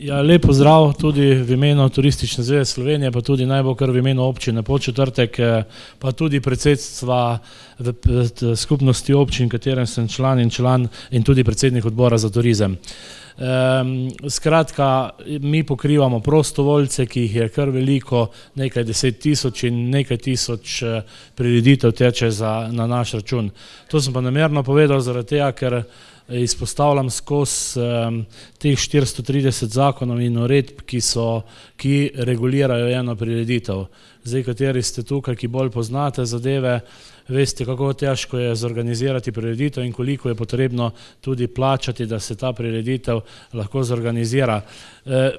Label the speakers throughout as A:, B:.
A: Ja, lep pozdrav tudi v imenu Turistične zveze Slovenije, pa tudi naj bo kar v imenu občine Podčetrtek, pa tudi predsedstva skupnosti občin, katerem sem član in tudi predsednik odbora za turizem. Skratka, mi pokrivamo prostovoljce, ki jih je kar veliko, nekaj 10 000 in nekaj tisoč prireditev teče na naš račun. To sem pa namerno povedal zaradi tega, ker izpostavljam skozi teh 430 zakonov in uredb, ki regulirajo eno prireditev. Zdaj, kateri ste tukaj, ki bolj poznate zadeve, veste, kako težko je zorganizirati prireditev in koliko je potrebno tudi plačati, da se ta prireditev lahko zorganizira. V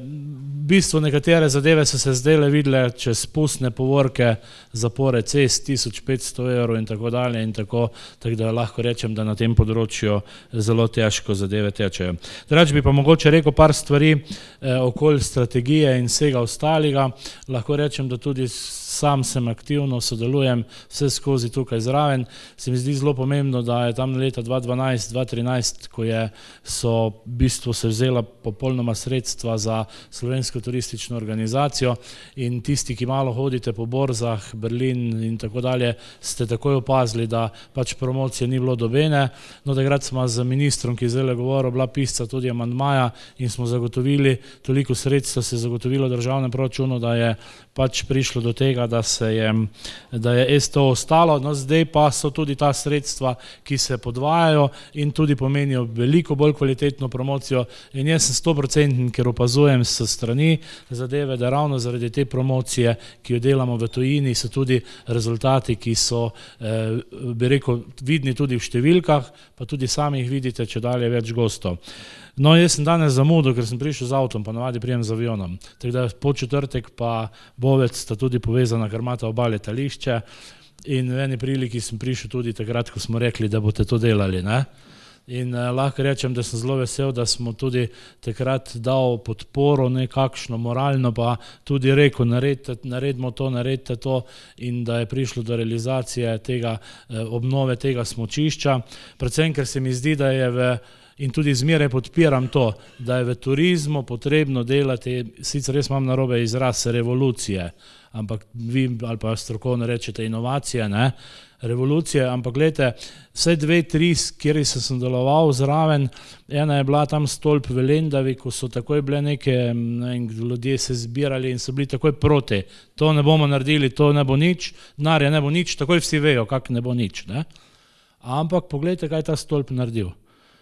A: bistvu nekatere zadeve so se zdajle videle čez pustne povorke, zapore cest, 1500 € in tako dalje in tako da lahko rečem, da na tem področju zelo težko zadeve tečejo. Drugače bi pa mogoče rekel par stvari okoli strategije in vsega ostalega. Lahko rečem, da tudi sam sem aktivno, sodelujem vse skozi tukaj zraven. Se mi zdi zelo pomembno, da je tam leta 2012-2013, ko so v bistvu se vzela popolnoma sredstva za Slovensko turistično organizacijo in tisti, ki malo hodite po borzah, Berlin in tako dalje, ste takoj opazili, da pač promocije ni bilo dobene. No, takrat smo z ministrom, ki je zdajle govoril, bila pisca tudi amandmaja in smo zagotovili, toliko sredstva se je zagotovilo v državnem proračunu, da je pač prišlo do tega, da je STO ostalo. No, zdaj pa so tudi ta sredstva, ki se podvajajo in tudi pomenijo veliko bolj kvalitetno promocijo in jaz sem 100%, ker opazujem s strani zadeve, da ravno zaradi te promocije, ki jo delamo v tujini, so tudi rezultati, ki so, bi rekel, vidni tudi v številkah, pa tudi sami jih vidite, če dalje več gostov. No, jaz sem danes zamudil, ker sem prišel z avtom, pa navadi prijem z avionom. Tako da Podčetrtek pa Bovec sta tudi povezana, ker imata oba letališče in v eni priliki sem prišel tudi takrat, ko smo rekli, da boste to delali, ne? In lahko rečem, da sem zelo vesel, da smo tudi takrat dal podporo nekakšno moralno, pa tudi rekel, naredimo to, naredite to in da je prišlo do realizacije tega, obnove tega smučišča. Predvsem, ker se mi zdi, da je in tudi zmeraj podpiram to, da je v turizmu potrebno delati, sicer res imam narobe izraz, revolucije, ampak vi ali pa strokovno rečete inovacije, ne? Revolucije, ampak gledajte, vsaj 2-3, kjer sem sodeloval zraven, ena je bila tam stolp v Lendavi, ko so takoj bile neke, ljudje se zbirali in so bili takoj proti. To ne bomo naredili, to ne bo nič, denarja ne bo nič, takoj vsi vejo, kako ne bo nič, ne? Ampak pogledajte, kaj je ta stolp naredil.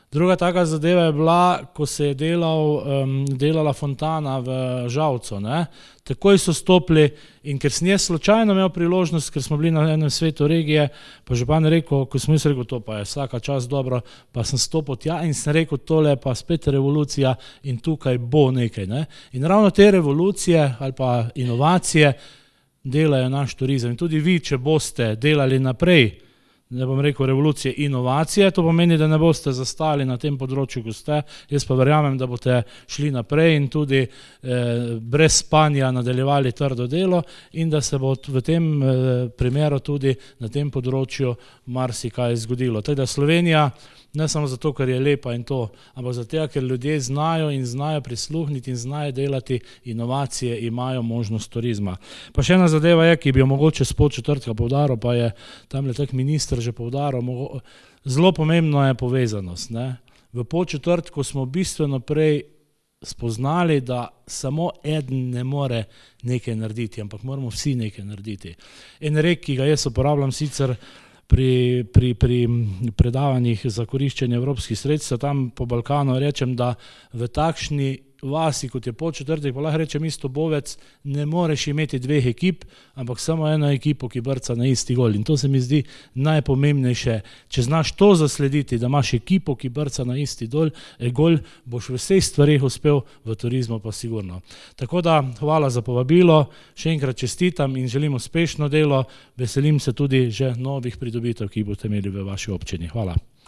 A: Druga taka zadeva je bila, ko se je delala fontana v Žalcu, ne. Takoj so stopili in ker sem jaz slučajno imel priložnost, ker smo bili na enem svetu regije, pa župan je rekel, ko sem jaz rekel, to pa je vsaka čast dobro, pa sem stopil tja in sem rekel, tole pa spet revolucija in tukaj bo nekaj, ne. In ravno te revolucije ali pa inovacije delajo naš turizem. In tudi vi, če boste delali naprej, ne bom rekel revolucije, inovacije, to pomeni, da ne boste zastali na tem področju, ko ste, jaz pa verjamem, da boste šli naprej in tudi brez spanja nadaljevali trdo delo in da se bo v tem primeru tudi na tem področju marsikaj zgodilo. Tako da Slovenija, ne samo zato, ker je lepa in to, ampak zato, ker ljudje znajo in znajo prisluhniti in znajo delati inovacije, imajo možnost turizma. Pa še ena zadeva je, ki bi jo mogoče s Podčetrtka poudaril, pa je tamle tak minister že poudaril, zelo pomembno je povezanost, ne. V Podčetrtku smo bistveno prej spoznali, da samo eden ne more nekaj narediti, ampak moramo vsi nekaj narediti. En rek, ki ga jaz uporabljam sicer pri predavanjih za koriščenje evropskih sredstev, tam po Balkanu rečem, da v takšni vasi, kot je Podčetrtek, pa lahko rečem isto Bovec, ne moreš imeti dveh ekip, ampak samo eno ekipo, ki brca na isti gol. In to se mi zdi najpomembnejše. Če znaš to zaslediti, da imaš ekipo, ki brca na isti gol, boš v vseh stvareh uspel, v turizmu pa sigurno. Tako da, hvala za povabilo, še enkrat čestitam in želim uspešno delo, veselim se tudi že novih pridobitev, ki jih boste imeli v vaši občini. Hvala.